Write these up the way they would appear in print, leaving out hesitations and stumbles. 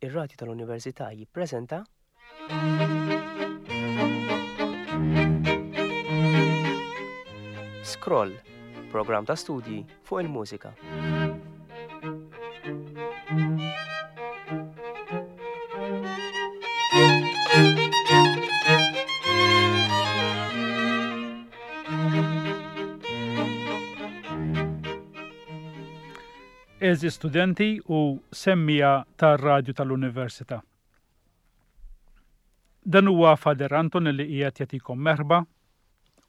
Ir-Radju tal-Università jippreżenta. Scroll, programm ta' studji fuq il-mużika. Għeżież studenti u semmiegħa tar-Radju tal-Università. Dan huwa Father Anton li qiegħed jagħtikom merħba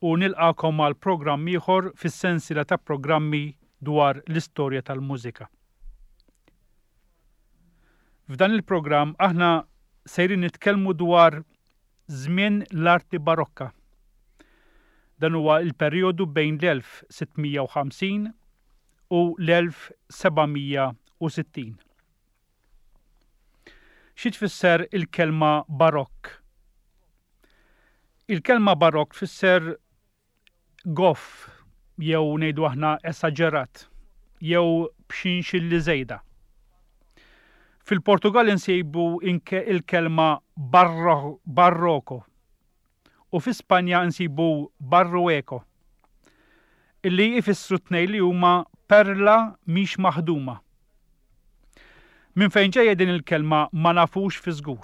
u nilqagħkom għal programm ieħor fis-sensiela ta' programmi dwar l-istorja tal-mużika. F'dan il-programm aħna sejrin nitkellmu dwar żmien l-arti Barokka. Dan huwa l-perjodu bejn l-1650 u l-1760. Xi tfisser il-kelma Barokk? Il-kelma Barokk tfisser goff jew ngħidu aħna esaġerat jew b'xinxilli żejda. Fil-Portugal insibu il-kelma barroco u fi Spanja nsibu barrueco, illi jfissru t-tnejn li huma perla mhix maħduma. Minn fejn ġejja din il-kelma ma nafux fi żgur.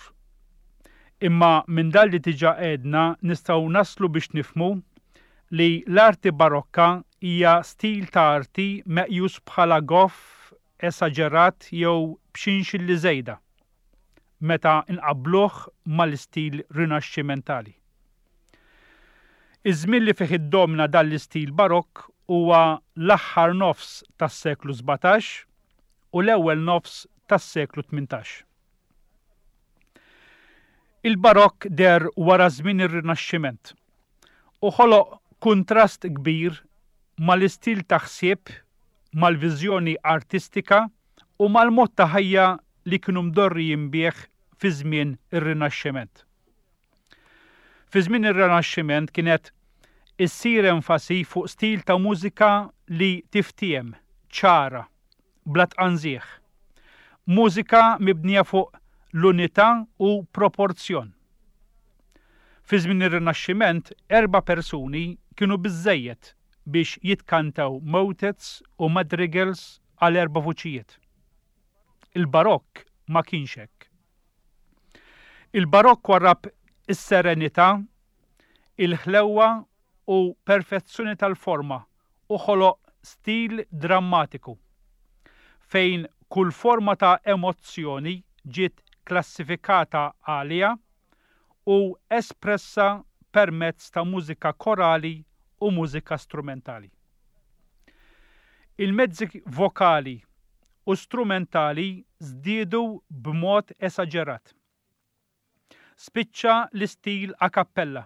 Imma minn dan li diġà għedna nistgħu naslu biex nifhmu li l-arti Barokka hija stil ta' arti meqjus bħala goff, esaġerat jew b'xinxilli żejda. meta nqabbluh mal-istil Rinaxximentali. Iż-żmien li fih iddomina dan l-istil Barokk huwa l-aħħar nofs tas-seklu 17 u l-ewwel nofs tas-seklu 18. Il-Barokk deher wara żmien ir-Rinaxximent u ħoloq kuntrast kbir mal-istil ta' ħsieb, mal-viżjoni artistika u mal-mod ta' ħajja li kienu mdorrijin bih fi żmien ir-Rinaxximent. Fi żmien ir-Rinaxximent kienet issir enfasi fuq stil ta' mużika li tiftiehem, ċara, bla tqanżiħ. Mużika mibnija fuq l-unità u proporzjon. Fi żmien ir-Rinaxximent erba' persuni kienu biżżejjed biex jitkantaw motets u madrigals għal erba' vuċijiet. Il-Barokk ma kienx hekk. Il-Barokk warrab is-serenità, il-ħlewwa u perfezzjoni tal-forma u ħoloq stil drammatiku, fejn kull forma ta' emozzjoni ġiet klassifikata għaliha u espressa permezz ta' mużika korali u mużika strumentali. Il-mezzi vokali u strumentali żdiedu b'mod esaġerat. Spiċċa l-istil a cappella.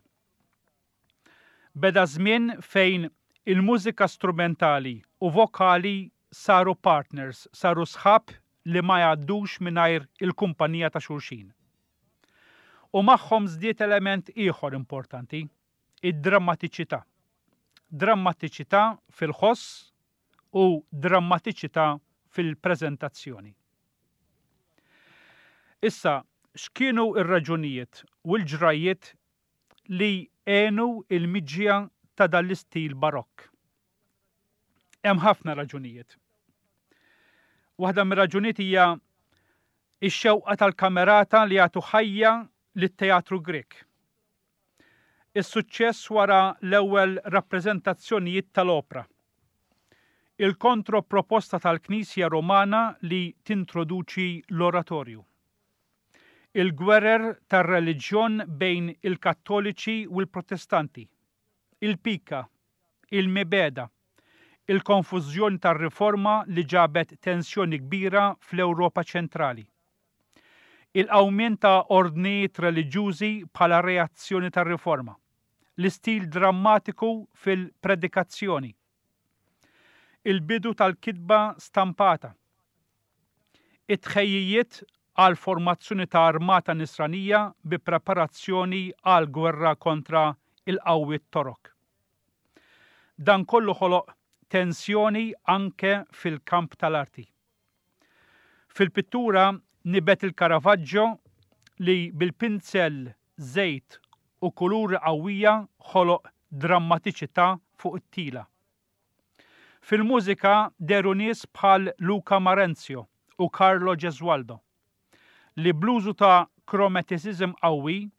Beda żmien fejn il-mużika strumentali u vokali saru partners, saru sħab li ma jgħaddux mingħajr il-kumpanija ta' xulxin. U magħhom żdied element ieħor importanti, id-drammatiċità. Drammatiċità fil-ħoss u drammatiċità fil-preżentazzjoni. Issa, x'kienu r-raġunijiet u l-ġrajjiet li għenu l-miġja ta' dan l-istil Barokk? Hemm ħafna raġunijiet. Waħda mir-raġunijiet hija x-xewqa tal-kamerata li jagħtu ħajja lit-teatru Grieg. Is-suċċess wara l-ewwel rappreżentazzjonijiet tal-opra. Il-kontroproposta tal-Knisja Rumana li tintroduċi l-oratorju. Il-gwerer tar-reliġjon bejn il-Kattoliċi u l-Protestanti. Il-pika. Il-mibegħda. Il-konfużjoni tar-Riforma li ġabet tensjoni kbira fl-Ewropa ċentrali. Il-qawmien ta' ordnijiet reliġjużi bħala reazzjoni tar-Riforma. L-istil drammatiku fil-predikazzjoni. Il-bidu tal-kitba stampata. It-tħejjijiet għall-formazzjoni ta' armata Nisranija bi preparazzjoni għall-gwerra kontra l-qawwiet Torok. Dan kollu ħoloq tensjoni anke fil-kamp tal-arti. Fil-pittura, nibet il-Caravaggio li bil-pinzell, żejt u kuluri qawwija ħoloq drammatiċità fuq it-tila. Fil-mużika dehru nies bħal Luca Marenzio u Carlo Gesualdo, li bl-użu ta' chromaticism qawwi,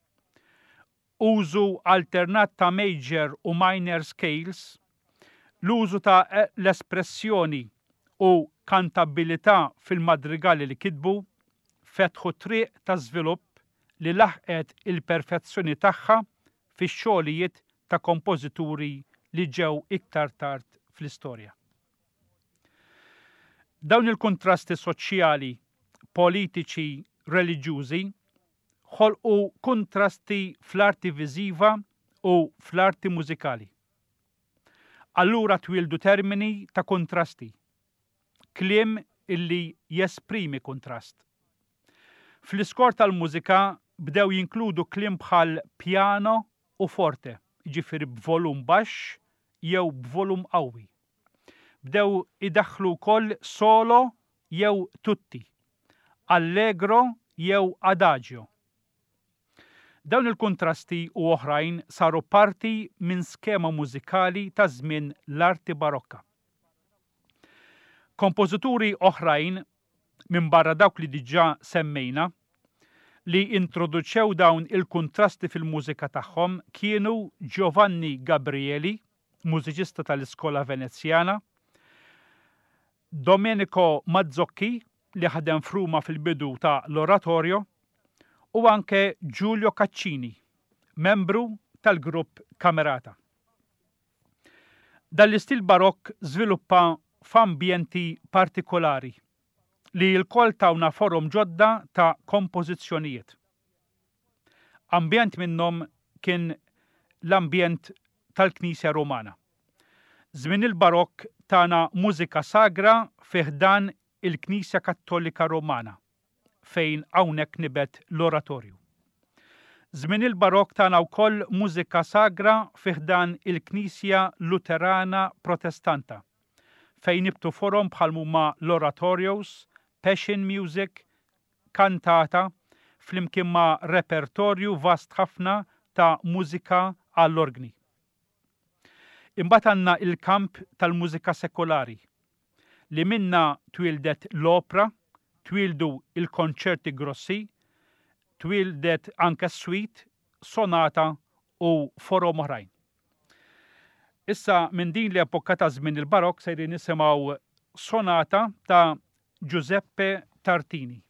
użu alternat ta' major u minor scales, l-użu ta' l-espressjoni u kantabilità fil-madrigali li kitbu, fetħu triq ta' żvilupp li laħqet il-perfezzjoni tagħha fix-xogħlijiet ta' kompożituri li ġew iktar tard fl-istorja. Dawn il-kuntrasti soċjali, politiċi, reliġjużi ħolqu kuntrasti fl-arti viżiva u fl-arti mużikali. Allura twieldu termini ta' kuntrasti, kliem illi jesprimi kuntrast. Fl-iskor tal-mużika bdew jinkludu kliem bħal piano u forte, jiġifieri b'volum baxx jew b'volum qawwi. Bdew idaħħlu wkoll solo jew tutti, allegro jew adagio. Dawn il-kuntrasti u oħrajn saru parti minn skema mużikali ta' żmien l-arti Barokka. Kompożituri oħrajn, minbarra dawk li diġà semmejna, li introduċew dawn il-kuntrasti fil-mużika tagħhom kienu Giovanni Gabrieli, mużiċista tal-iskola Venezjana, Domenico Mazzocchi, li ħadem f'Ruma fil-bidu ta' l-oratorio, u anke Giulio Caccini, membru tal-grupp Camerata. Dan l-istil Barokk żviluppa f'ambjenti partikolari li lkoll tawna forom ġodda ta' kompożizzjonijiet. Ambjent minnhom kien l-ambjent tal-Knisja Rumana. Żmien il-Barokk tana mużika sagra fi ħdan il-Knisja Kattolika Rumana. fejn hawnhekk nibet l-oratorju. Żmien il-Barokk tana wkoll mużika sagra fi ħdan il-Knisja Luterana Protestanta, fejn nibtu forom bħal m'huma l-oratorios, passion music, kantata, flimkien ma' repertorju vast ħafna ta' mużika għall-orgni. Imbagħad għandna l-kamp tal-mużika sekulari, li minnha twieldet l-opra, twieldu l-konċerti grossi, twieldet anke s-suite, sonata u forom oħrajn. Issa minn din l-epoka ta' żmien il-Barokk sejrin nisimgħu sonata ta' Giuseppe Tartini.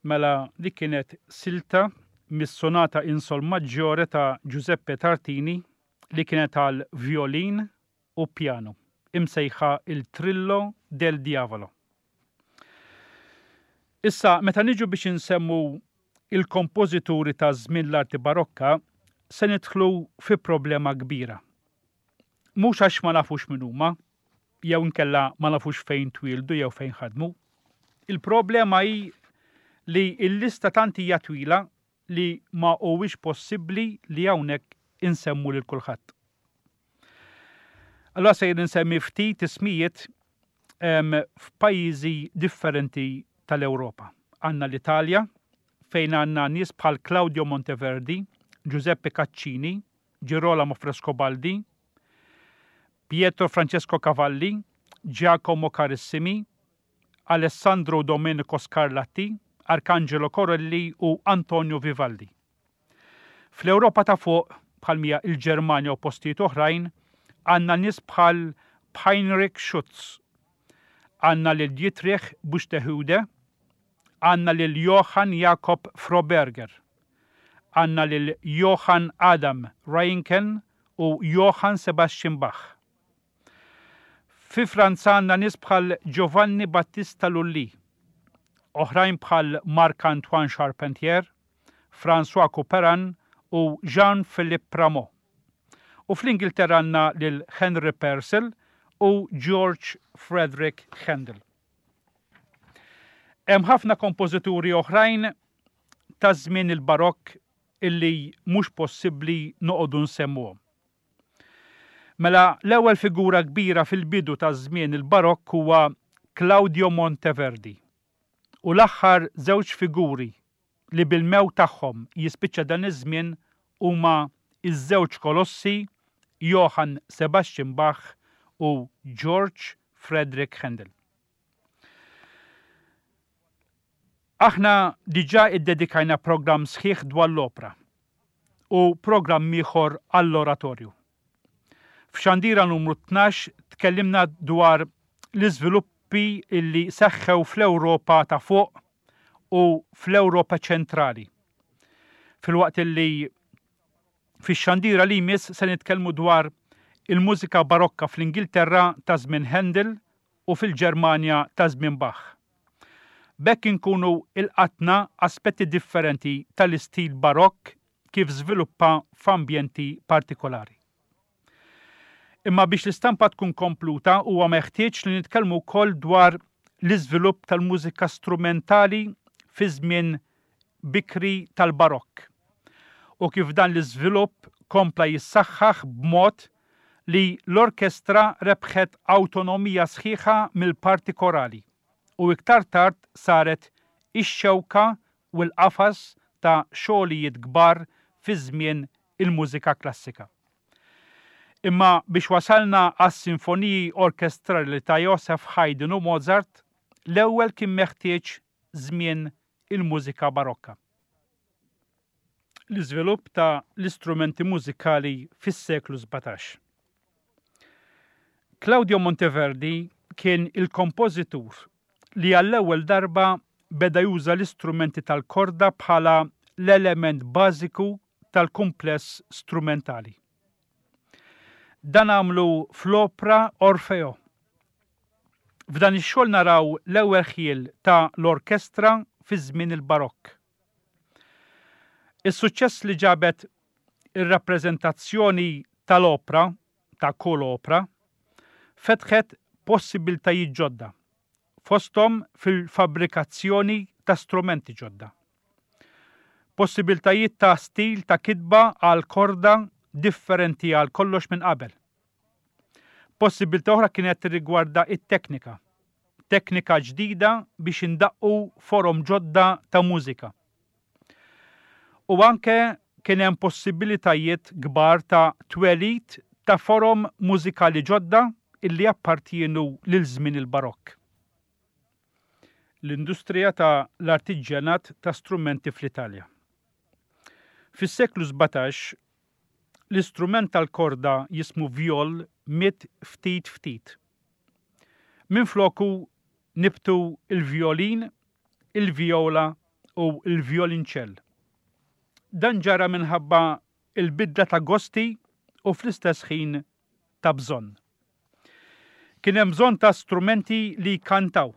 Mela dik kienet silta mis-sonata in sol maggiore ta' Giuseppe Tartini li kienet għal vjolin u pjanu, imsejħa Il Trillo del Diavolo. Issa, meta niġu biex insemmu il-kompożituri ta' żmien l-arti Barokka, se nidħlu fi problema kbira. Mhux għax ma nafux min huma, jew inkella ma nafux fejn twieldu jew fejn ħadmu. Il-problema hi li l-lista tant hija twila li ma huwiex possibbli li hawnhekk insemmu lil kulħadd. Allura sejjer insemmi ftit ismijiet f'pajjiżi differenti tal-Ewropa. Għandna l-Italja, fejn għandna nies bħal Claudio Monteverdi, Giuseppe Caccini, Girolamo Frescobaldi, Pietro Francesco Cavalli, Giacomo Carissimi, Alessandro Domenico Scarlatti, Arcangelo Corelli u Antonio Vivaldi. Fl-Ewropa ta' fuq, bħal mija il-Ġermanja u postijiet oħrajn, għandna nies bħal Heinrich Schütz, għandna lil Dietrich Buxtehude, għandna lil Johann Jakob Froberger, għandna lil Johann Adam Reinken u Johann Sebastian Bach. Fi Franza għandna nies bħal Giovanni Battista Lully, oħrajn bħal Marc-Antoine Charpentier, François Couperin u Jean-Philippe Rameau. U fl-Ingilterra għandna lil Henry Purcell u George Frederick Handel. Hemm ħafna kompożituri oħrajn ta' żmien il-Barokk illi mhux possibbli noqogħdu nsemmuhom. Mela l-ewwel figura kbira fil-bidu ta' żmien il-Barokk huwa Claudio Monteverdi u l-aħħar żewġ figuri li bil-mewt tagħhom jispiċċa dan iż-żmien huma ż-żewġ kolossi Johann Sebastian Bach u George Frederick Handel. Aħna diġà iddedikajna programm sħiħ dwar l-opra u programm ieħor għall-oratorju. F'xandira numru 12 tkellimna dwar l-iżviluppi li seħħew fl-Ewropa ta' fuq u fl-Ewropa ċentrali. Filwaqt li fix-xandira li jmiss se nitkellmu dwar il-mużika barokka fl-Ingilterra ta' żmien Handel u fil-Ġermanja ta' żmien Bach. B'hekk inkunu ilqatna aspetti differenti tal-istil Barokk kif żviluppa f'ambjenti partikolari. Imma biex l-istampa tkun kompluta huwa meħtieġ li nitkellmu wkoll dwar l-iżvilupp tal-mużika strumentali fi żmien bikri tal-Barokk u kif dan l-iżvilupp kompla jissaħħaħ b'mod li l-orkestra rebħet awtonomija sħiħa mill-parti korali u iktar tard saret ix-xewka u l-qafas ta' xogħlijiet kbar fi żmien il-mużika klassika. Imma biex wasalna għas-sinfoniji orkestrali ta' Joseph Haydn u Mozart, l-ewwel kien meħtieġ żmien il-mużika barokka. L-iżvilupp ta' l-istrumenti mużikali fis-seklu 17. Claudio Monteverdi kien il-kompożitur li għall-ewwel darba beda juża l-istrumenti tal-korda bħala l-element bażiku tal-kumpless strumentali. Dan għamlu fl-opra Orfeo. F'dan ix-xogħol naraw l-ewwel ħjiel ta' l-orkestra fi żmien il-Barokk. Is-suċċess li ġabet ir-rappreżentazzjoni tal-opra, ta' kull opra, fetħet possibbiltajiet ġodda, fosthom fil-fabbrikazzjoni ta' strumenti ġodda. Possibbiltajiet ta' stil ta' kitba għal korda differenti għal kollox minn qabel. Possibbiltà oħra kienet tirrigwarda t-teknika, teknika ġdida biex indaqqu forom ġodda ta' mużika. U anke kien hemm possibilitajiet kbar ta' twelid ta' forom mużikali ġodda illi jappartjienu lil żmien il-Barokk. L-industrija ta' l-artiġjanat ta' strumenti fl-Italja. Fis-seklu 17, l-istrument tal-korda jismu vjol miet ftit ftit. Minfloku nibtu l-vjolin, il-vjola u l-vjolinċell. Dan ġara minħabba l-bidla ta' gosti u fl-istess ħin ta' bżonn. Kien hemm bżonn ta' strumenti li jkantaw.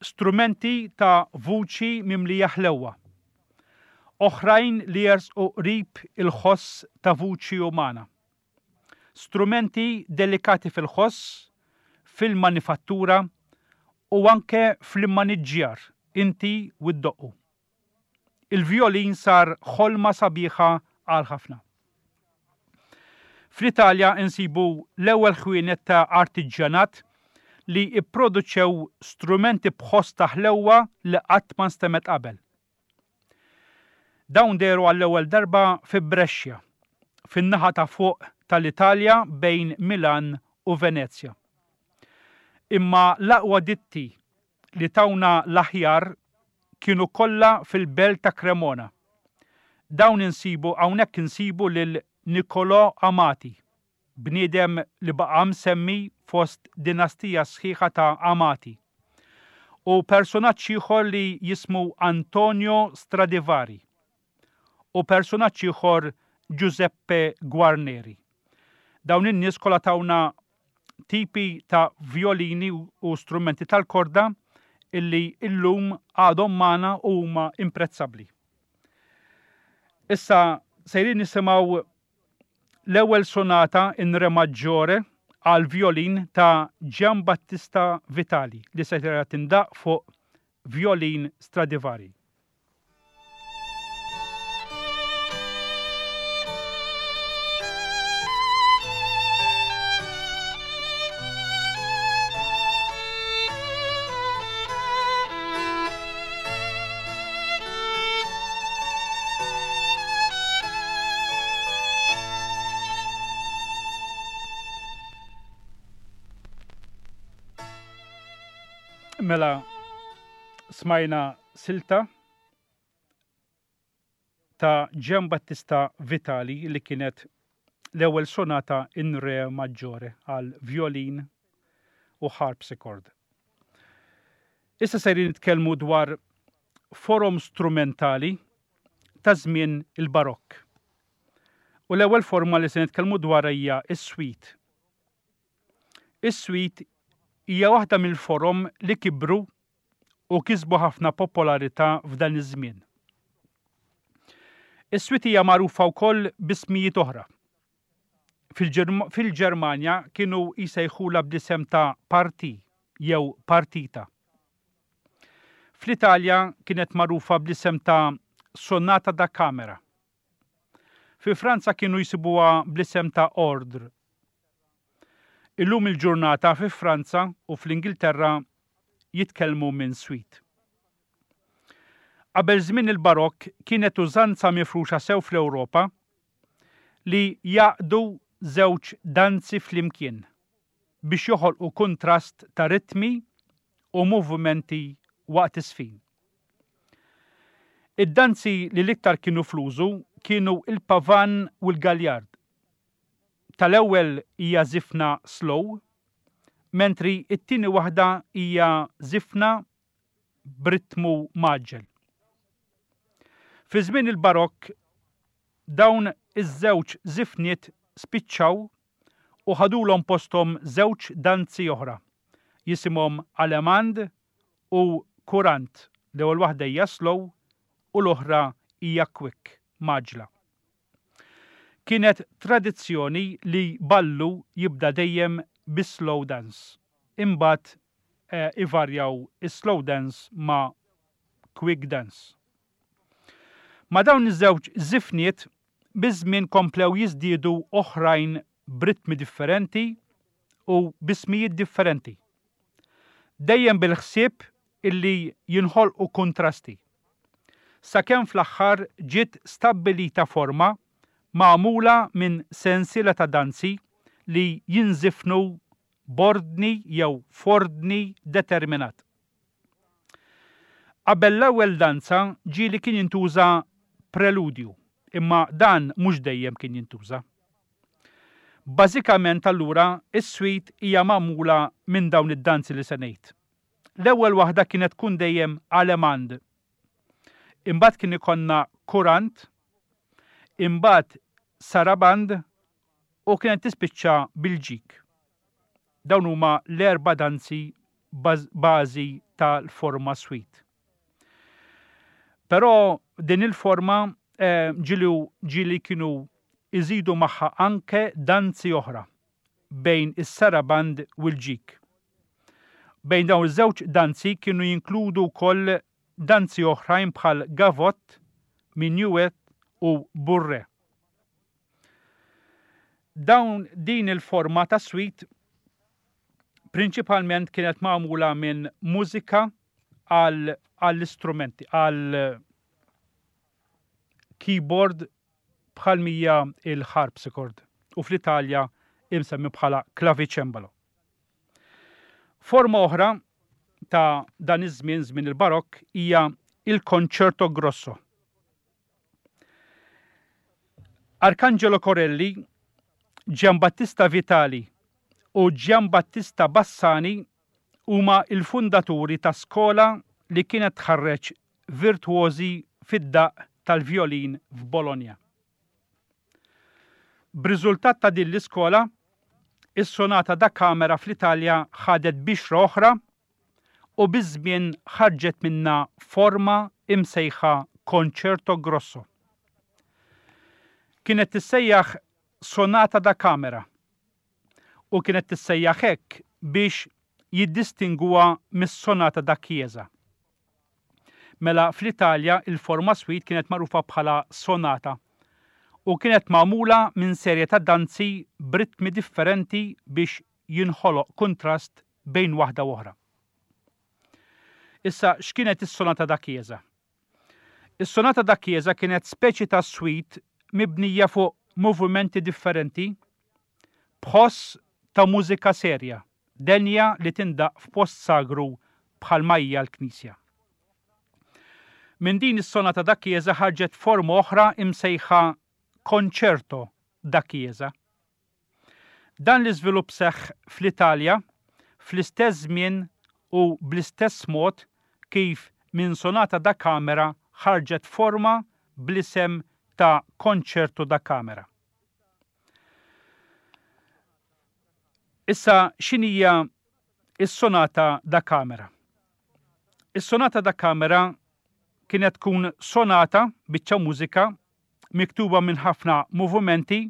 Strumenti ta' vuċi mimlija ħlewwa. Oħrajn li jersqu qrib il-ħoss ta' vuċi umana. Strumenti delikati fil-ħoss, fil-manifattura u anke fl-immaniġġjar inti u ddoqqu. Il-vjolin sar ħolma sabiħa għal ħafna. Fl-Italja insibu l-ewwel ħwienet ta' artiġjanat li pproduċew strumenti b'ħoss ta' ħlewwa li qatt ma nstemgħet qabel. Dawn dehru għall-ewwel darba fi Brescia. fin-naħa ta' fuq tal-Italja bejn Milan u Venezja. Imma l-aqwa ditti li tawna l-aħjar kienu kollha fil-belt ta' Cremona. Dawn insibu hawnhekk insibu lil Niccolò Amati, bniedem li baqa' msemmi fost dinastija sħiħa ta' Amati, u persunaġġ ieħor li jismu Antonio Stradivari, u persunaġġ ieħor Giuseppe Guarneri. Dawn in-nies kollha tawna tipi ta' vjolini u strumenti tal-korda illi illum għadhom magħna u huma imprezzabbli. Issa sejrin nisimgħu l-ewwel sonata in re maggiore għal vjolin ta' Giambattista Vitali li se tindaq fuq vjolin Stradivari. Mela smajna silta ta' Gian Battista Vitali li kienet l-ewwel sonata in re maggiore għal violin u harpsichord. Issa sejrin nitkellmu dwar forom strumentali ta' żmien il-Barokk. U l-ewwel forma li se nitkellmu dwarha hija s-suite. Is-suite hija waħda mill-forom li kibru u kisbu ħafna popolarità f'dan iż-żmien. Is-suite hija magħrufa wkoll b'ismijiet oħra. Fil-Ġermanja kienu jsejħulha bl-isem ta' partie jew partita. Fl-Italja kienet magħrufa bl-isem ta' sonata da camera. Fi Franza kienu jsibuha bl-isem ta' ordre. Illum il-ġurnata fi Franza u fl-Ingilterra jitkellmu minn suite. Qabel żmien il-Barokk kienet użanza mifruxa sew fl-Ewropa li jgħaqqdu żewġ danzi flimkien biex joħolqu kuntrast ta' ritmi u movimenti waqt iż-żfin. Id-danzi li l-iktar kienu fl-użu kienu l-pavan u l-galjard. Tal-ewwel hija żifna slow, mentri t-tieni waħda hija żifna b'ritmu mgħaġġel. Fi żmien il-Barokk dawn iż-żewġ żifniet spiċċaw u ħadulhom posthom żewġ danzi oħra jisimhom Allemande u Courante, l-ewwel waħda hija slow u l-oħra hija quick, mgħaġġla. Kienet tradizzjoni li ballu jibda dejjem bis-slow dance, imbagħad ivarjaw is-slow dance ma' quick dance. Ma' dawn iż-żewġ żifniet biż-żmien komplew jiżdiedu oħrajn b'ritmi differenti u b'ismijiet differenti. Dejjem bil-ħsieb illi jinħolqu kuntrasti. Sakemm fl-aħħar ġiet stabbilita forma magħmula minn sensiela ta' danzi li jinżifnu b'ordni jew f'ordni determinat. Qabel l-ewwel danza ġieli kien jintuża preludju, imma dan mhux dejjem kien jintuża. Bażikament allura is-suite hija magħmula minn dawn id-danzi li se ngħid. L-ewwel waħda kienet tkun dejjem Allemande. Imbagħad kien ikollna Courante, imbagħad Sarabande u kienet tispiċċa bil-ġig. Dawn huma l-erba' danzi bażi tal-forma suite. Però din il-forma ġieli ġieli kienu jżidu magħha anke danzi oħra bejn is-saraband u l-ġig. Bejn dawn iż-żewġ danzi kienu jinkludu wkoll danzi oħrajn bħal gavotte, minuet u bourrée. Dawn din il-forma ta' suite prinċipalment kienet magħmula minn mużika għall-istrumenti, għal keyboard. bħal mija il-harpsichord u fl-Italja imsemmi bħala clavicembalo. Forma oħra ta' dan iż-żmien, żmien il-Barokk, hija il-concerto grosso. Arcangelo Corelli, Giambattista Vitali u Giambattista Bassani huma l-fundaturi ta' skola li kienet tħarreġ virtwożi fid-daqq tal-vjolin f'Bologna. B'riżultat ta' din l-iskola, is-sonata da camera fl-Italja ħadet bixra oħra u biż-żmien ħarġet minnha forma imsejħa concerto grosso. Kienet tissejjaħ sonata da camera u kienet tissejjaħ hekk biex jiddistingwuha mis-sonata da chiesa. Mela fl-Italja il-forma suite kienet magħrufa bħala sonata u kienet magħmula minn serje ta' danzi b'ritmi differenti biex jinħoloq kuntrast bejn waħda u oħra. Issa x'kienet is-sonata da chiesa? Is-sonata da chiesa kienet speċi ta' suite mibnija fuq movimenti differenti b'ħoss ta' mużika serja, denja li tindaqq f'post sagru bħalma hija l-knisja. Minn din is-sonata da chiesa ħarġet forma oħra imsejħa concerto da chiesa. Dan l-iżvilupp seħħ fl-Italja fl-istess żmien u bl-istess mod kif minn sonata da camera ħarġet forma bl-isem ta' concerto da camera. Issa x'inhija s-sonata da camera? Is-sonata da camera kienet tkun sonata, biċċa mużika, miktuba minn ħafna movimenti,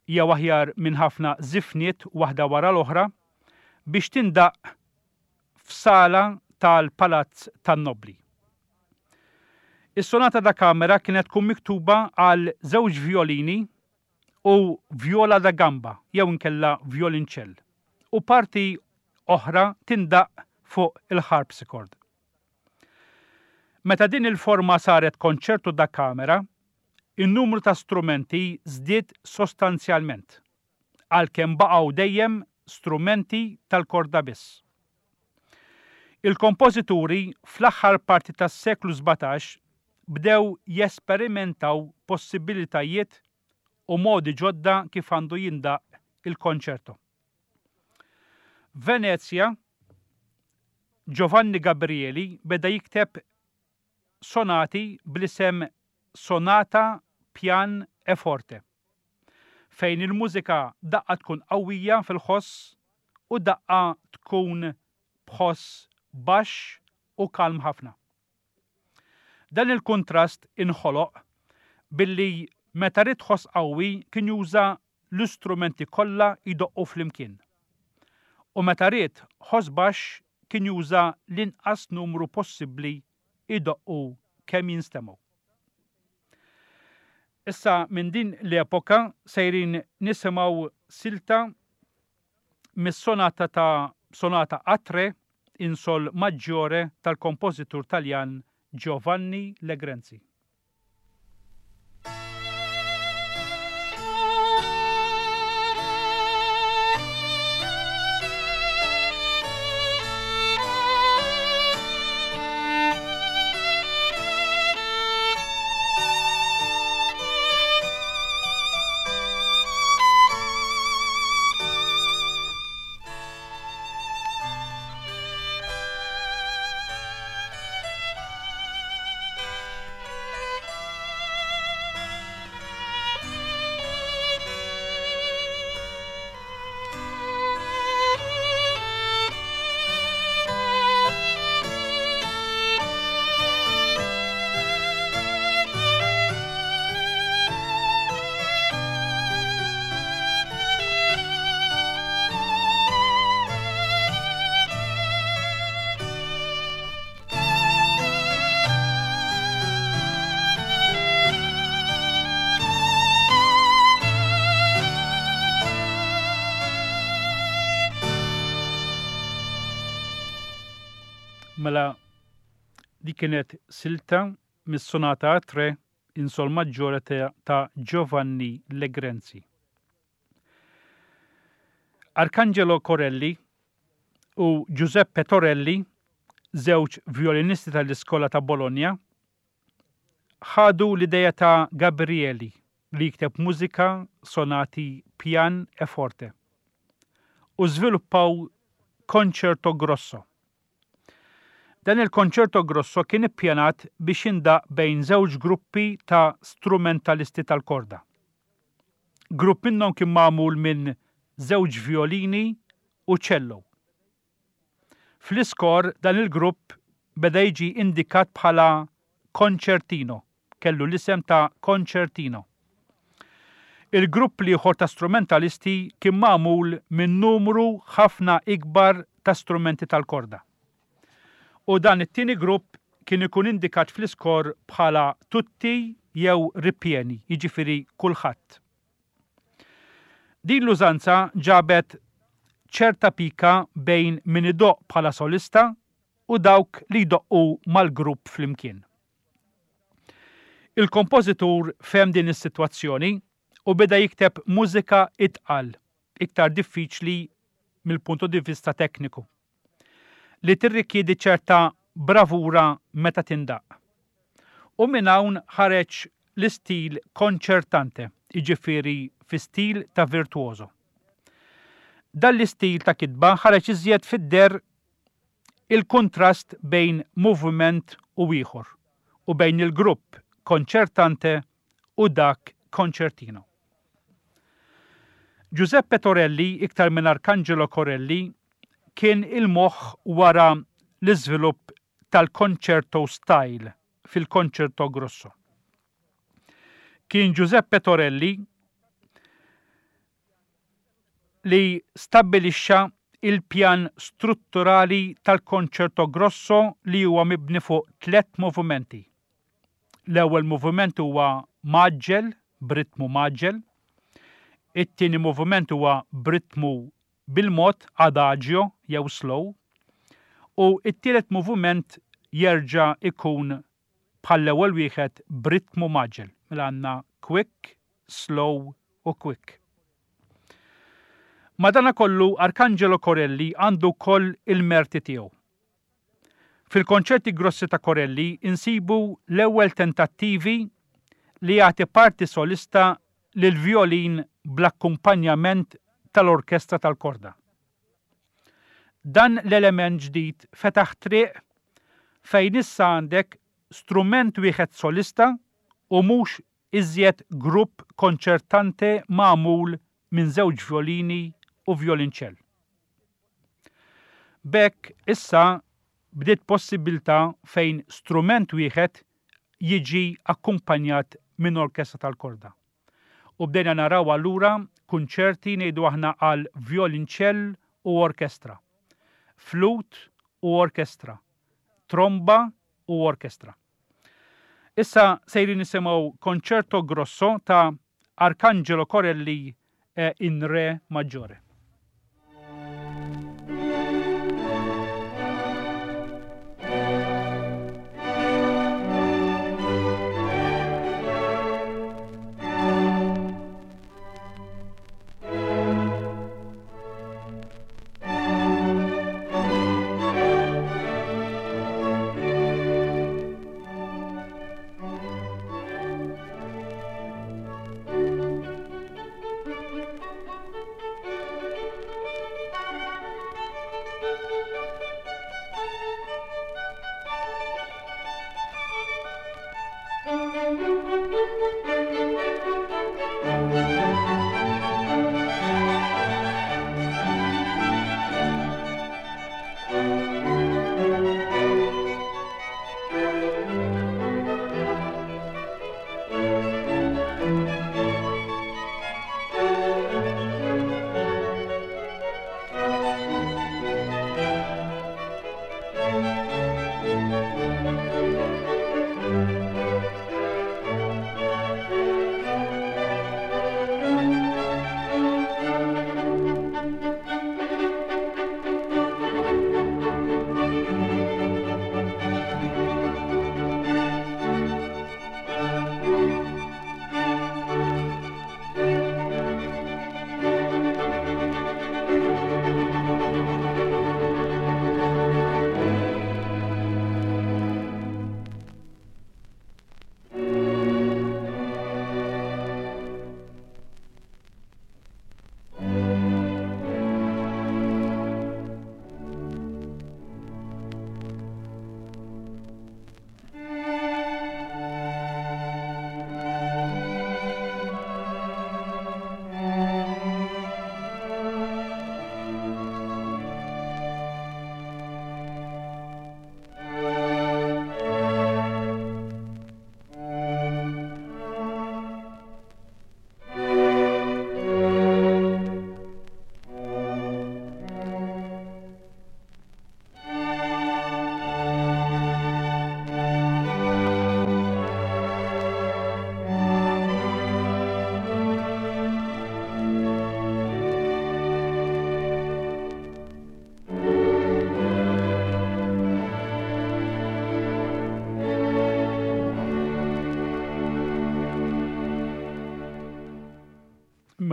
jew aħjar minn ħafna żifniet waħda wara l-oħra, biex tindaqq f'sala tal-palazz tan-nobbli. Is-sonata da camera kienet tkun miktuba għal żewġ vjolini u vjola da gamba jew inkella vjolinċell u parti oħra tindaqq fuq il-harpsichord. Meta din il-forma saret concerto da camera, in-numru ta' strumenti żdied sostanzjalment. għalkemm baqgħu dejjem strumenti tal-korda biss. Il-kompożituri fl-aħħar parti tas-seklu 17 bdew jesperimentaw possibilitajiet u modi ġodda kif għandu jindaqq il-konċerto. F'Venezja, Giovanni Gabrieli beda jikteb sonati bl-isem Sonata Pian e Forte. fejn il-mużika daqqa tkun qawwija fil-ħoss u daqqa tkun b'ħoss baxx u kalm ħafna. Dan il-kuntrast inħoloq billi meta ried ħoss qawwi kien juża l-istrumenti kollha jdoqqu flimkien u meta ried ħoss baxx kien juża l-inqas numru possibbli jdoqqu kemm jinstemgħu. Issa minn din l-epoka sejrin nisimgħu silta mis-sonata ta' Sonata a tre in sol maggiore tal-kompożitur Taljan Giovanni Legrenzi. Mela, di kienet silta mis-sonata a tre. in Sol Maggiore ta' Giovanni Legrenzi. Arcangelo Corelli u Giuseppe Torelli, żewġ vjolinisti tal-Iskola ta' Bologna, ħadu l-ideja ta' Gabrieli li jikteb mużika sonati pjan e forte u żviluppaw Concerto Grosso. Dan il-Concerto Grosso kien ippjanat biex jindaqq bejn żewġ gruppi ta' strumentalisti tal-korda. Grupp minnhom kien magħmul minn żewġ vjolini u cello. Fl-iskor dan il-grupp beda jiġi indikat bħala concertino, kellu l-isem ta' concertino. Il-grupp l-ieħor ta' strumentalisti kien magħmul minn numru ħafna ikbar ta' strumenti tal-korda. U dan it-tieni grupp kien ikun indikat fl-iskor bħala tutti jew ripieni, jiġifieri kulħadd. Din l-użanza ġabet ċerta pika bejn min idoqq bħala solista u dawk li jdoqqu mal-grupp flimkien. Il-kompożitur fehem din is-sitwazzjoni u beda jikteb mużika itqal, iktar diffiċli mill-punto di vista tekniku, li tirrikjedi ċerta bravura meta tindaqq. U minn hawn ħareġ l-istil concertante, jiġifieri fi stil ta' virtuoso. Dan l-istil ta' kitba ħareġ iżjed fid-deher il-kuntrast bejn moviment u ieħor u bejn il-grupp concertante u dak concertino. Giuseppe Torelli, iktar minn Arcangelo Corelli, kien il-moħħ wara l-iżvilupp tal-concerto style fil-Concerto Grosso. Kien Giuseppe Torelli li stabbilixxa il-pjan strutturali tal-Concerto Grosso li huwa mibni fuq tlett movimenti. L-ewwel moviment huwa mgħaġġel, b'ritmu mgħaġġel. It-tieni moviment huwa b'ritmu bil-mod, adagio jew slow. U t-tielet moviment jerġa' jkun bħall-ewwel wieħed b'ritmu mgħaġġel. Mela għandna quick, slow u quick. Madanakollu Arcangelo Corelli għandu wkoll il-merti tiegħu. Fil-konċerti grossi ta' Corelli insibu l-ewwel tentattivi li jagħti parti solista lill-vjolin bl-akkumpanjament tal-orkestra tal-korda. Dan l-element ġdid fetaħ triq fejn issa għandek strument wieħed solista u mhux iżjed grupp konċertante magħmul minn żewġ vjolini u vjolinċell. B'hekk issa bdiet possibbiltà fejn strument wieħed jiġi akkumpanjat minn orkestra tal-korda. U bdejna naraw allura kunċerti ngħidu aħna għal vjolinċell u orkestra, flut u orkestra, tromba u orkestra. Issa sejrin nisimgħu Concerto Grosso ta' Arcangelo Corelli in Re Maggiore.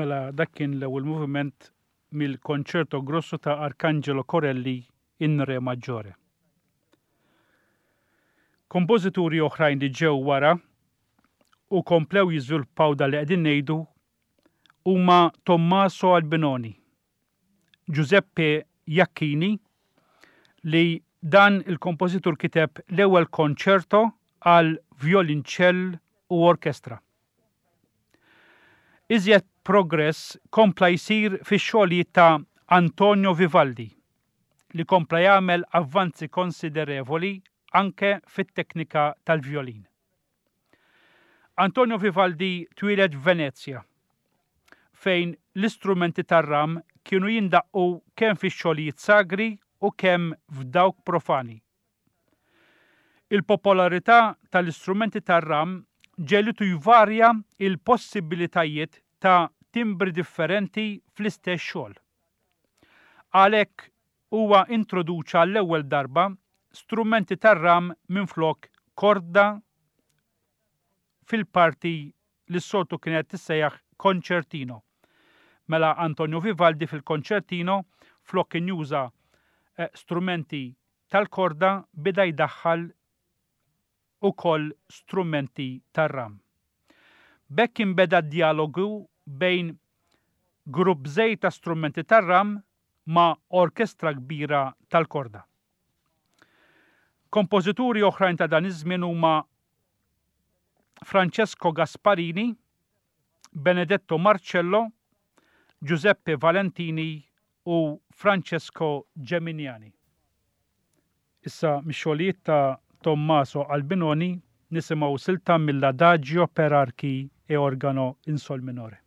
Mela dak kien l-ewwel moviment mill-Concerto Grosso ta' Arcangelo Corelli in Re Maggiore. Kompożituri oħrajn li ġew wara u komplew jiżviluppaw dan li qegħdin ngħidu huma Tommaso Albinoni, Giuseppe Jacchini li dan il-kompożitur kiteb l-ewwel konċerto għal vjolinċell u orkestra. Iżjed progress kompla jsir fix-xogħlijiet ta' Antonio Vivaldi li kompla jagħmel avvanzi konsiderevoli anke fit-teknika tal-vjolin. Antonio Vivaldi twieled f'Venezja, fejn l-istrumenti tar-ram kienu jindaqqu kemm fix-xogħlijiet sagri u kemm f'dawk profani. Il-popolarità tal-istrumenti tar-ram ġegħlitu jvarja l-possibbilitajiet ta' timbri differenti fl-istess xogħol. Għalhekk huwa introduċa għall-ewwel darba strumenti tar-ram minflok korda fil-parti li s-soltu kienet tissejjaħ concertino. Mela Antonio Vivaldi fil-concertino flok kien juża strumenti tal-korda beda jdaħħal ukoll strumenti tar-ram. B'hekk inbeda d-djalogu bejn grupp żgħir ta' strumenti tar-ram ma' orkestra kbira tal-korda. Kompożituri oħrajn ta' dan iż-żmien huma Francesco Gasparini, Benedetto Marcello, Giuseppe Valentini u Francesco Geminiani. Issa mix-xogħlijiet ta' Tommaso Albinoni nisimgħu silta mill-Adagio per archi e organo in sol minore.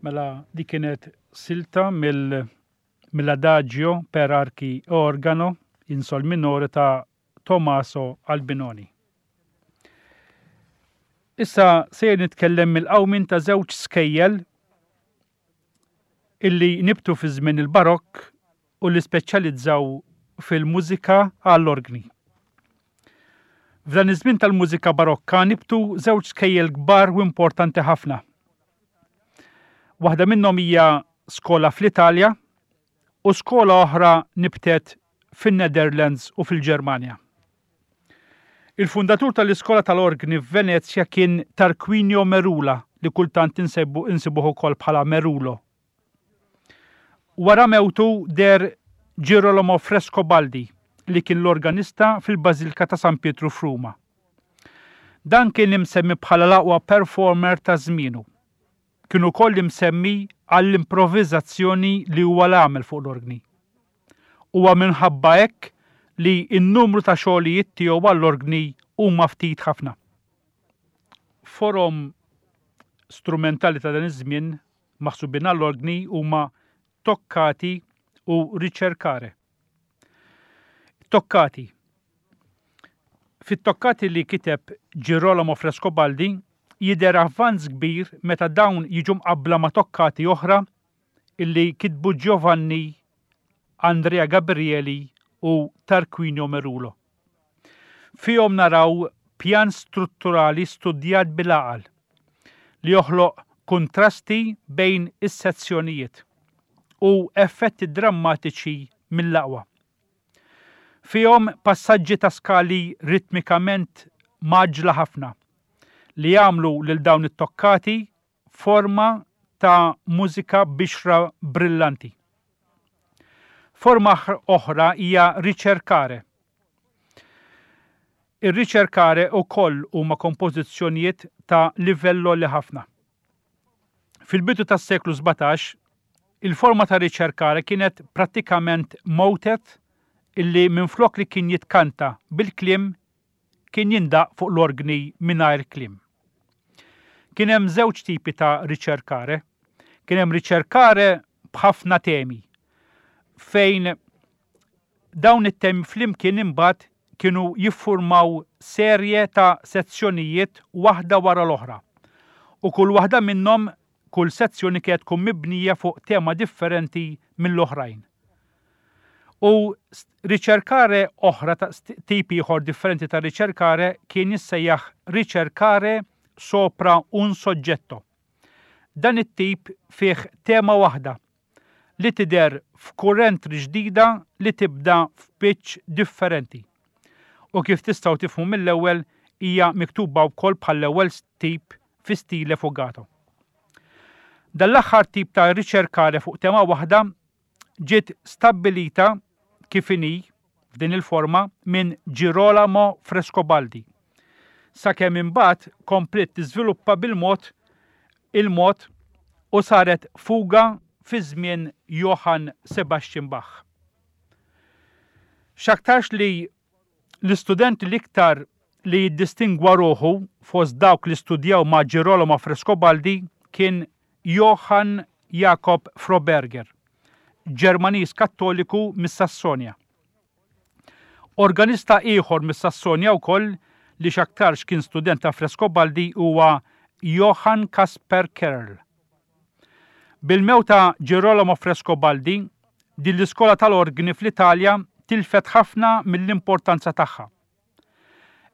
Mela di kienet silta mill mill-Adagio per archi e organo in sol minore ta' Tommaso Albinoni. Issa sejjer nitkellem mill-qawmien ta' żewġ skejjel illi nibtu fi żmien il-Barokk u li speċjalizzaw fil-mużika għall-orgni. F'dan iż-żmien tal-mużika Barokka nibtu żewġ skejjel kbar u importanti ħafna. Waħda minnhom hija skola fl-Italja u skola oħra nibtet fin-Netherlands u fil-Ġermanja. Il-fundatur tal-iskola tal-orgni f'Venezja kien Tarquinio Merula li kultant insibuh ukoll bħala Merulo. Wara mewtu deher Girolamo Frescobaldi li kien l-organista fil-Bażilka ta' San Pietru f'Ruma. Dan kien imsemmi bħala l-aqwa performer ta' żmienu. Kien ukoll imsemmi għall-improviżazzjoni li huwa l-għamel fuq l-orgni. Huwa minħabba hekk li n-numru ta' xogħlijiet tiegħu għall-orgni huma ftit ħafna. Forom strumentali ta' dan iż-żmien maħsubin għall-orgni huma toccati u ricercare. Toccati. Fit-toccati li kiteb Girolamo Frescobaldi jidher avvanz kbir meta dawn jiġu mqabbla ma' toccati oħra illi kitbu Giovanni Andrea Gabrieli u Tarquinio Merulo. Fihom naraw pjan strutturali studjat bil-għaqal li joħloq kuntrasti bejn is-sezzjonijiet u effetti drammatiċi mill-aqwa. Fihom passaġġi ta' skali ritmikament mgħaġġla ħafna li jagħmlu lil dawn it-toccati forma ta' mużika bixra brillanti. Forma oħra hija ricercare. Ir-ricercare wkoll huma kompożizzjonijiet ta' livell għoli ħafna. Fil-bidu tas-seklu 17, il-forma ta' ricercare kienet prattikament motet illi minflok li kien jitkanta bil-kliem kien jindaqq fuq l-orgni mingħajr kliem. Kien hemm żewġ tipi ta' ricercare. Kien hemm ricercare b'ħafna temi, fejn dawn it-temi flimkien imbagħad kienu jiffurmaw serje ta' sezzjonijiet waħda wara l-oħra, u kull waħda minnhom kull sezzjoni kienet tkun mibnija fuq tema differenti mill-oħrajn. U ricercare oħra ta' tip ieħor differenti ta' ricercare kien jissejjaħ ricercare sopra un soggetto. Dan it-tip fih tema waħda li tidher f'kurrent ġdida li tibda f'pitch differenti. U kif tistgħu tifhmu mill-ewwel hija miktuba wkoll bħall-ewwel tip fi stile fugato. Dan l-aħħar tip ta' ricercare fuq tema waħda ġiet stabbilita kif inhi f'din il-forma minn Girolamo Frescobaldi, sakemm imbagħad kompliet tiżviluppa bil-mod il-mod u saret fuga fi żmien Johann Sebastian Bach. X'aktarx li l-istudent l-iktar li jiddistingwa ruħu fost dawk li studjaw ma' Girolamo Frescobaldi kien Johann Jakob Froberger, Ġermaniż Kattoliku mis-Sassonja. Organista ieħor mis-Sassonja wkoll li x'aktarx kien student ta' Frescobaldi huwa Johann Caspar Kerl. Bil-mewt ta' Girolamo Frescobaldi, din l-iskola tal-orgni fl-Italja tilfet ħafna mill-importanza tagħha.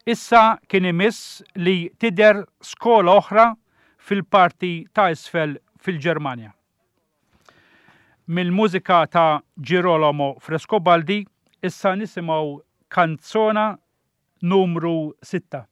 Issa kien imiss li tidher skola oħra fil-parti ta' isfel fil-Ġermanja. Mill-mużika ta' Girolamo Frescobaldi issa nisimgħu kanzona numru sitta.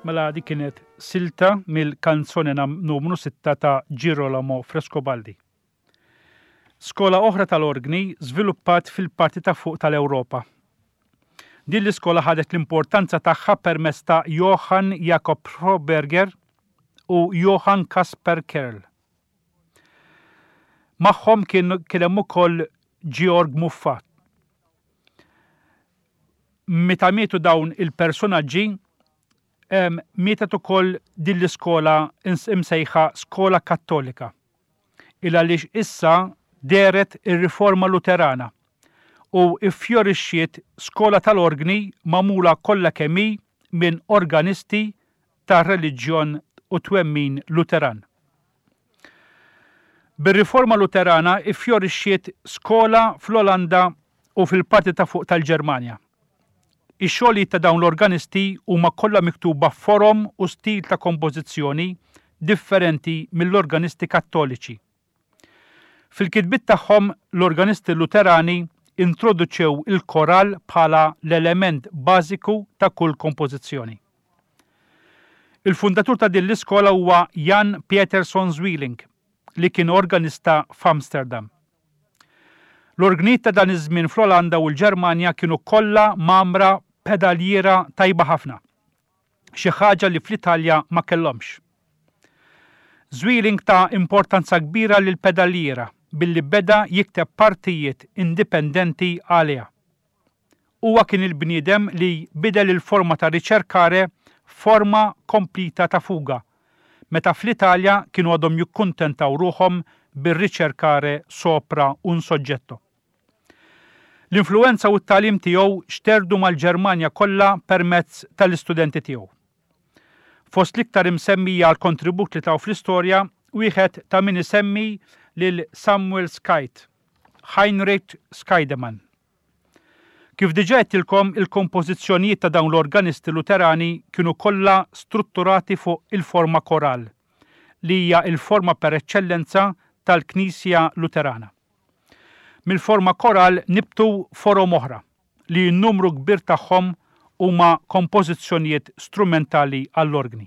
Mela dik kienet silta mill-kanzone numru 6 ta' Girolamo Frescobaldi. Skola oħra tal-orgni żviluppat fil-parti ta' fuq tal-Ewropa. Din l-iskola ħadet l-importanza tagħha permezz ta' Johann Jakob Froberger u Johann Caspar Kerl. Magħhom kien kien hemm ukoll Georg Muffat. Meta mietu dawn il-personaġġi, mietet ukoll din l-iskola imsejħa Skola Kattolika. Il għaliex issa dehret ir-Riforma Luterana u ffjorixxiet skola tal-orgni magħmula kollha kemm hi minn organisti tar-reliġjon u twemmin Luteran. Bir-Riforma Luterana ffjorixxiet skola fl-Olanda u fil-parti ta' fuq tal-Ġermanja. Ix-xogħlijiet ta' dawn l-organisti huma kollha miktuba f'forom u stil ta' kompożizzjoni differenti mill-organisti Kattoliċi. Fil-kitbiet tagħhom, l-organisti Luterani introduċew il-koral bħala l-element bażiku ta' kull kompożizzjoni. Il-fundatur ta' din l-iskola huwa Jan Pieterszoon Zwiling, li kien organista f'Amsterdam. L-orgnijiet ta' dan iż-żmien fl-Olanda u l-Ġermanja kienu kollha mgħammra b'pedaljiera tajba ħafna, xi ħaġa li fl-Italja ma kellhomx. Zwiling ta importanza kbira lill-pedaljiera billi beda jikteb partijiet indipendenti għaliha. Huwa kien il-bniedem li bidel il-forma ta' ricercare f'forma komplita ta' fuga, meta fl-Italja kienu għadhom jikkuntentaw ruħhom bir-ricercare sopra un soggetto. L-influwenza u t-tagħlim tiegħu xterdu mal-Ġermanja kollha permezz tal-istudenti tiegħu. Fost l-iktar imsemmija għall-kontribut li taw fl-istorja, wieħed ta' min isemmi lil Samuel Scheidt, Heinrich Scheidemann. Kif diġà għedtilkom, il-kompożizzjonijiet ta' dawn l-organisti Luterani kienu kollha strutturati fuq il-forma koral, li hija l-forma per eċċellenza tal-Knisja Luterana. Mill-forma koral nibtu forom oħra, li n-numru kbir tagħhom huma kompożizzjonijiet strumentali għall-orgni.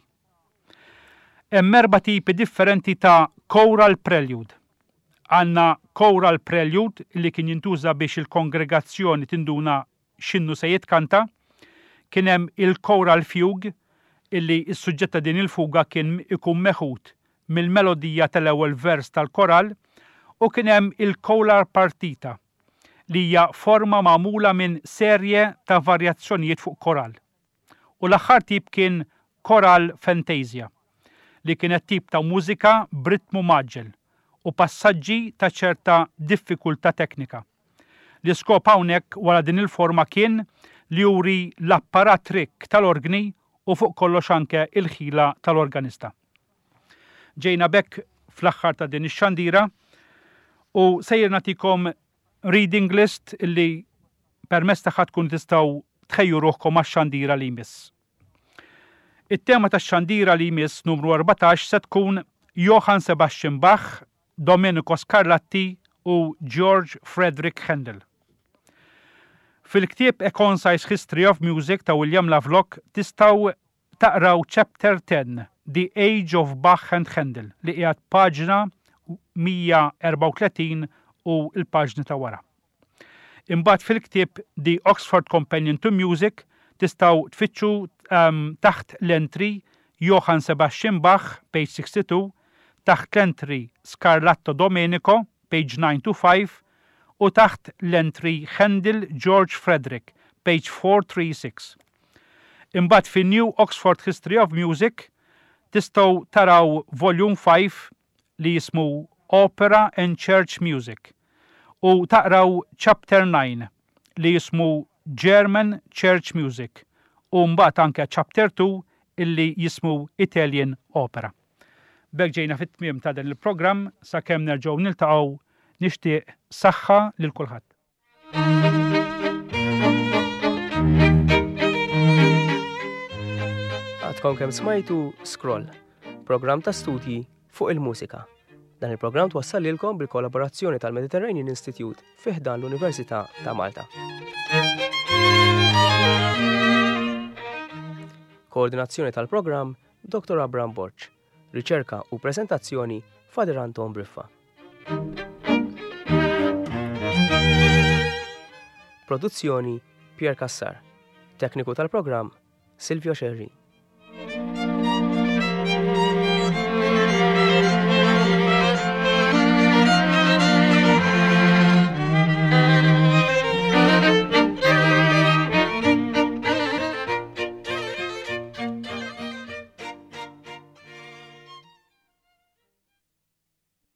Hemm erba' tipi differenti ta' choral prelude. Għandna choral prelude li kien jintuża biex il-kongregazzjoni tinduna x'innu se jitkanta. Kien hemm il-choral fugue illi s-suġġett ta' din il-fuga kien ikun meħud mill-melodija tal-ewwel vers tal-koral u kien hemm il-choral partita li hija forma magħmula minn serje ta' varjazzjonijiet fuq koral. U l-aħħar tip kien Choral Fantasia, li kienet tip ta' mużika b'ritmu mgħaġġel u passaġġi ta' ċerta diffikultà teknika. L-iskop hawnhekk wara din il-forma kien li juri l-apparat rikk tal-orgni u fuq kollox anke l-ħila tal-organista. Ġejna b'hekk fl-aħħar ta' din ix-xandira u sejjer nagħtikom reading list li permezz tagħha tkun tistgħu tħejju ruħkom għax-xandira li jmiss. It-tema tax-xandira li jmiss numru 14 se tkun Johann Sebastian Bach, Domenico Scarlatti u George Frederick Handel. Fil-ktieb A Concise History of Music ta' William Lovelock tistgħu taqraw Chapter 10, The Age of Bach and Handel li qiegħed paġna 134 u l-paġni ta' wara. Imbagħad fil-ktieb The Oxford Companion to Music tistgħu tfittxu taħt l-entry Johann Sebastian Bach, page 62, taħt l-entry Scarlatto Domenico, page 925, u taħt l-entry Handel George Frederick, page 436. Imbagħad fin-New Oxford History of Music tistgħu taraw Volume 5 li jismu Opera and Church Music u taqraw Chapter 9 li jismu German Church Music u mbagħad anke Chapter 2 illi jismu Italian Opera. B'hekk ġejna fit-tmiem ta' dan il-programm sakemm nerġgħu niltaqgħu nixtieq saħħa lil kulħadd. Għadkom kemm smajtu Scroll, programm ta' studji fuq il-mużika. Dan il-programm twassal lilkom bil-kollaborazzjoni tal-Mediterranean Institute fi ħdan l-Università ta' Malta. Koordinazzjoni tal-programm Dr. Abram Borg. Riċerka u preżentazzjoni Father Anton Briffa. Produzzjoni Pierre Cassar. Tekniku tal-programm Silvio Scerri.